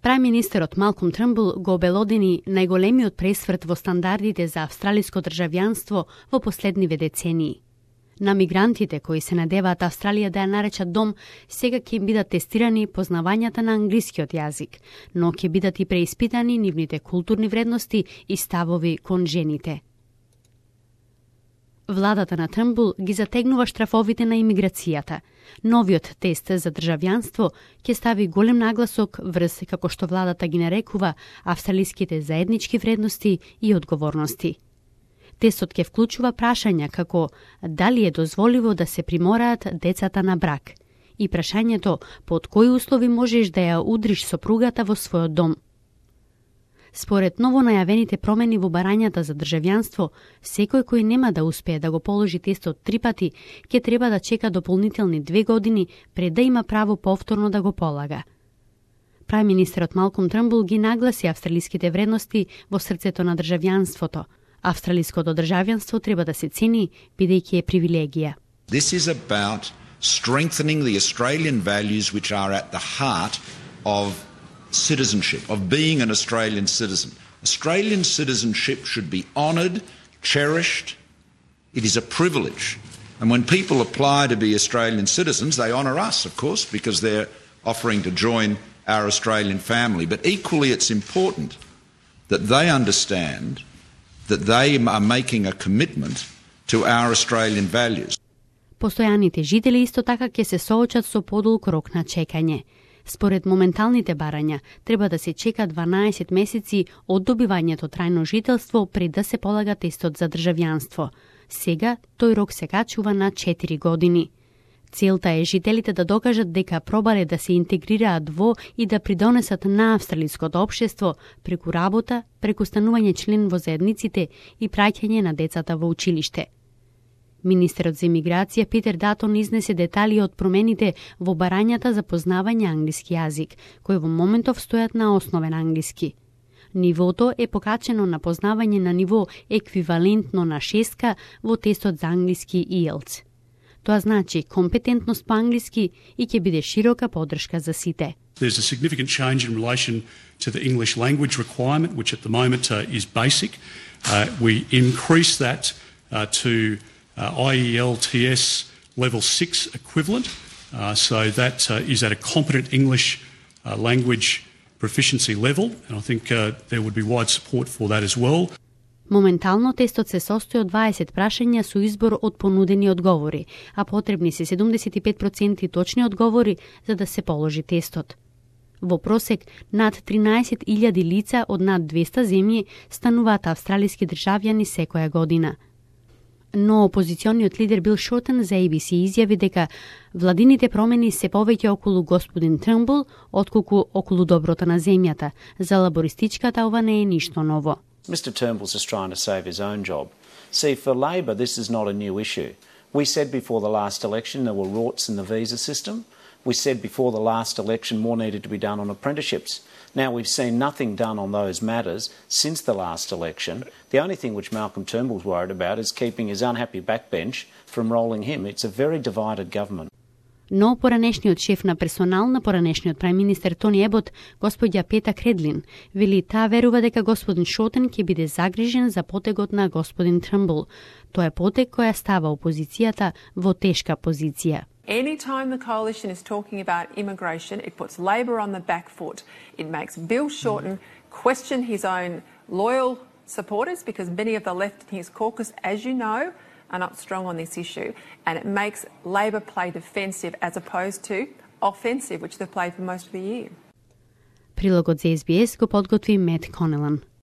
Прајм-министерот Малком Трнбул го обелодени најголемиот пресврт во стандардите за австралиско државјанство во последниве децении. На мигрантите кои се надеваат Австралија да ја наречат дом, сега ќе им бидат тестирани познавањата на англискиот јазик, но ќе бидат и преиспитани нивните културни вредности и ставови кон жените. Владата на Трнбул ги затегнува штрафовите на имиграцијата. Новиот тест за државјанство ќе стави голем нагласок врз, како што владата ги нарекува, австралиските заеднички вредности и одговорности. Тестот ќе вклучува прашања како дали е дозволиво да се примораат децата на брак и прашањето под кои услови можеш да ја удриш сопругата во својот дом. Според новонајавените промени во барањата за државјанство, секој кој нема да успее да го положи тестот 3 пати, ќе треба да чека дополнителни 2 години пред да има право повторно да го полага. Прајм-министерот Малком Трнбул ги нагласи австралиските вредности во срцето на државјанството. Австралиското државјанство треба да се цени, бидејќи е привилегија. This is about strengthening the Australian values which are at the heart of citizenship, of being an Australian citizen. Australian citizenship should be honoured, cherished. It is a privilege. And when people apply to be Australian citizens, they honour us, of course, because they're offering to join our Australian family. But equally, it's important that they understand that they are making a commitment to our Australian values. Постојаните жители исто така ќе се соочат со подолг рок на чекање. Според моменталните барања, треба да се чека 12 месеци од добивањето трајно жителство пред да се полага тестот за државјанство. Сега тој рок се качува на 4 години. Целта е жителите да докажат дека пробале да се интегрираат во и да придонесат на австралиското општество преку работа, преку станување член во заедниците и праќање на децата во училиште. Министерот за имиграција Питер Датон изнесе детали од промените во барањата за познавање англиски јазик, кои во моментов стојат на основен англиски. Нивото е покачено на познавање на ниво еквивалентно на 6 во тестот за англиски IELTS. Тоа значи компетентност по англиски и ќе биде широка поддршка за сите. There's a significant change in relation to the English language requirement, which at the moment is basic. We increase that to IELTS level 6 equivalent, so that is at a competent English language proficiency level, and I think there would be wide support for that as well. Моментално тестот се состои од 20 прашања со избор од понудени одговори, а потребни се 75% точни одговори за да се положи тестот. Во просек, над 13.000 лица од над 200 земји стануваат австралиски државјани секоја година. Но опозициониот лидер Бил Шортен за ABC изјави дека владините промени се повеќе околу господин Трнбул, отколку околу доброто на земјата. За лабористичката ова не е ништо ново. Mr Turnbull's just trying to save his own job. See, for Labor, this is not a new issue. We said before the last election there were rorts in the visa system. We said before the last election more needed to be done on apprenticeships. Now we've seen nothing done on those matters since the last election. The only thing which Malcolm Turnbull's worried about is keeping his unhappy backbench from rolling him. It's a very divided government. Но поранешниот шеф на персонал на поранешниот прајм-министер Тони Ебот, господја Пета Кредлин, вели таа верува дека господин Шотен ќе биде загрижен за потегот на господин Трнбул. Тоа е потег која става опозицијата во тешка позиција. Anytime the coalition is talking about immigration, it puts Labor on the back foot. It makes Bill Shorten question his own loyal supporters because many of the left in his caucus, as you know, are not strong on this issue, and it makes Labor play defensive as opposed to offensive, which they've played for most of the year. Прилогот за SBS го подготви Мет Конелан.